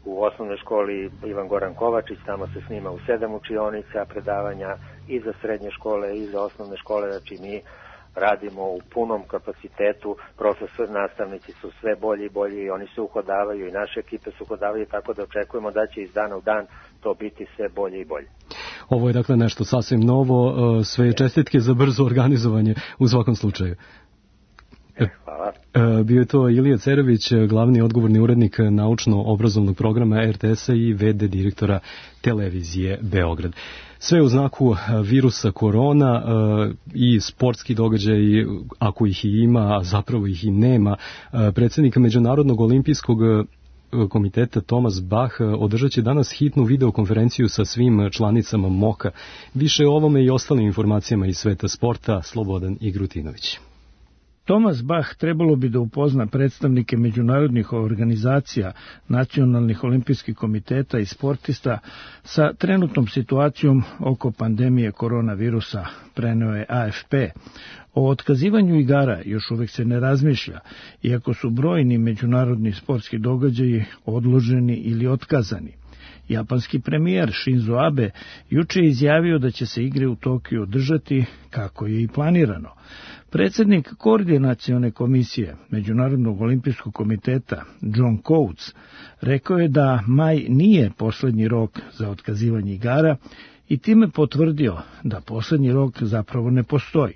u osnovnoj školi Ivan Goran Kovačić, tamo se snima u sedam učionica predavanja i za srednje škole i za osnovne škole, znači mi radimo u punom kapacitetu, profesor, nastavnici su sve bolji i bolji i oni se uhodavaju i naše ekipe se uhodavaju, tako da očekujemo da će iz dana u dan to biti sve bolje i bolje. Ovo je dakle nešto sasvim novo, sve čestitke za brzo organizovanje u svakom slučaju. Hvala. Bio je to Ilija Cerović, glavni odgovorni urednik naučno-obrazovnog programa er te es-a i ve de direktora televizije Beograd. Sve u znaku virusa korona i sportski događaj, ako ih i ima, a zapravo ih i nema. Predsjednik Međunarodnog olimpijskog komiteta Thomas Bach održat će danas hitnu videokonferenciju sa svim članicama moka. Više o ovome i ostalim informacijama iz sveta sporta, Slobodan Igrutinović. Thomas Bach trebalo bi da upozna predstavnike međunarodnih organizacija, nacionalnih olimpijskih komiteta i sportista sa trenutnom situacijom oko pandemije koronavirusa, preneo je a ef pe. O otkazivanju igara još uvek se ne razmišlja, iako su brojni međunarodni sportski događaji odloženi ili otkazani. Japanski premijer Shinzo Abe juče je izjavio da će se igre u Tokiju održati kako je i planirano. Predsjednik Koordinacione komisije Međunarodnog olimpijskog komiteta John Coates rekao je da maj nije poslednji rok za otkazivanje igara i time potvrdio da poslednji rok zapravo ne postoji.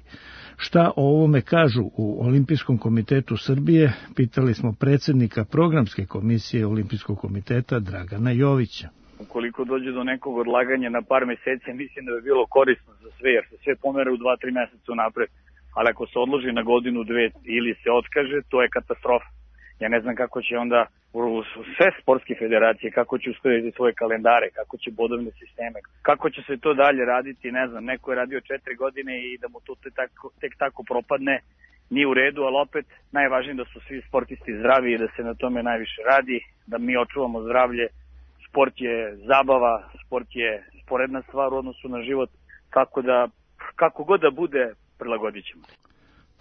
Šta o ovome kažu u Olimpijskom komitetu Srbije, pitali smo predsjednika programske komisije Olimpijskog komiteta Dragana Jovića. Ukoliko dođe do nekog odlaganja na par meseci, mislim da bi bilo korisno za sve, jer se sve pomera u dva tri meseca napred. Ali ako se odloži na godinu, dve ili se otkaže, to je katastrofa. Ja ne znam kako će onda sve sportske federacije, kako će uskladiti svoje kalendare, kako će bodovne sisteme, kako će se to dalje raditi, ne znam, neko je radio četiri godine i da mu to tek tako, tek tako propadne, nije u redu, ali opet najvažnije da su svi sportisti zdravi i da se na tome najviše radi, da mi očuvamo zdravlje. Sport je zabava, sport je sporedna stvar u odnosu na život, tako da kako god da bude, prilagodit ćemo.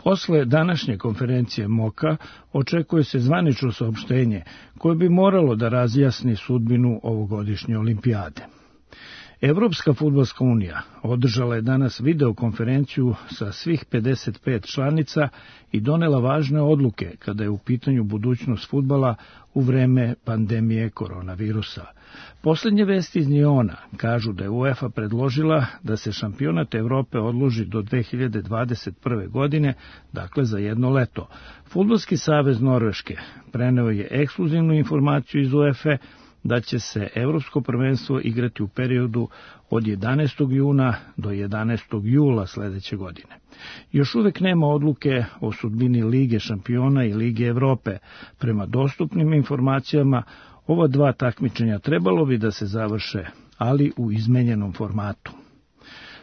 Posle današnje konferencije moka očekuje se zvanično saopštenje koje bi moralo da razjasni sudbinu ovogodišnje olimpijade. Evropska fudbalska unija održala je danas videokonferenciju sa svih pedeset pet članica i donela važne odluke kada je u pitanju budućnost fudbala u vreme pandemije koronavirusa. Poslednje vesti iz Njona kažu da je UEFA predložila da se šampionat Evrope odloži do dve hiljade dvadeset prve. godine, dakle za jedno leto. Fudbalski savez Norveške preneo je ekskluzivnu informaciju iz UEFA da će se Evropsko prvenstvo igrati u periodu od jedanaestog juna do jedanaestog jula sledeće godine. Još uvek nema odluke o sudbini Lige šampiona i Lige Evrope. Prema dostupnim informacijama, ova dva takmičenja trebalo bi da se završe, ali u izmenjenom formatu.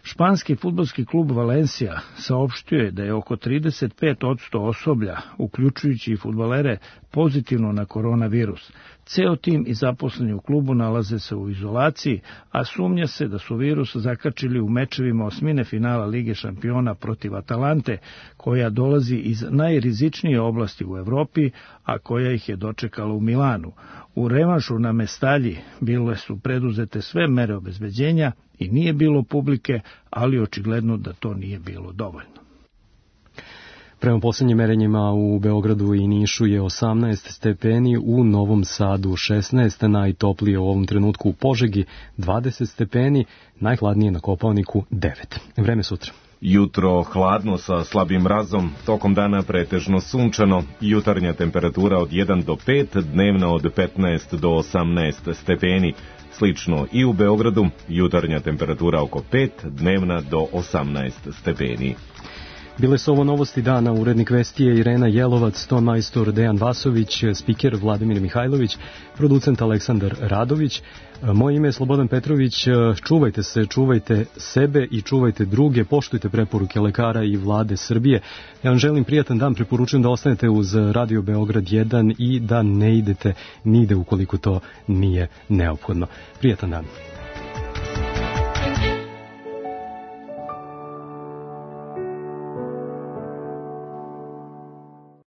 Španski fudbalski klub Valencia saopštio je da je oko trideset pet posto osoblja, uključujući i fudbalere, pozitivno na koronavirus. Ceo tim i zaposleni u klubu nalaze se u izolaciji, a sumnja se da su virus zakačili u mečevima osmine finala Lige šampiona protiv Atalante, koja dolazi iz najrizičnije oblasti u Evropi, a koja ih je dočekala u Milanu. U revanšu na Mestalji bile su preduzete sve mere obezbeđenja i nije bilo publike, ali očigledno da to nije bilo dovoljno. Prema posljednjim merenjima u Beogradu i Nišu je osamnaest stepeni, u Novom Sadu šesnaest, najtoplije u ovom trenutku u Požegi dvadeset stepeni, najhladnije na Kopaoniku devet. Vreme sutra. Jutro hladno sa slabim mrazom, tokom dana pretežno sunčano, jutarnja temperatura od jedan do pet, dnevna od petnaest do osamnaest stepeni. Slično i u Beogradu, jutarnja temperatura oko pet, dnevna do osamnaest stepeni. Bile su ovo novosti dana, urednik Vesti je Irena Jelovac, ton majstor Dejan Vasović, spiker Vladimir Mihajlović, producent Aleksandar Radović. Moje ime je Slobodan Petrović, čuvajte se, čuvajte sebe i čuvajte druge, poštujte preporuke lekara i vlade Srbije. Ja vam želim prijatan dan, preporučujem da ostanete uz Radio Beograd jedan i da ne idete nigde ukoliko to nije neophodno. Prijatan dan.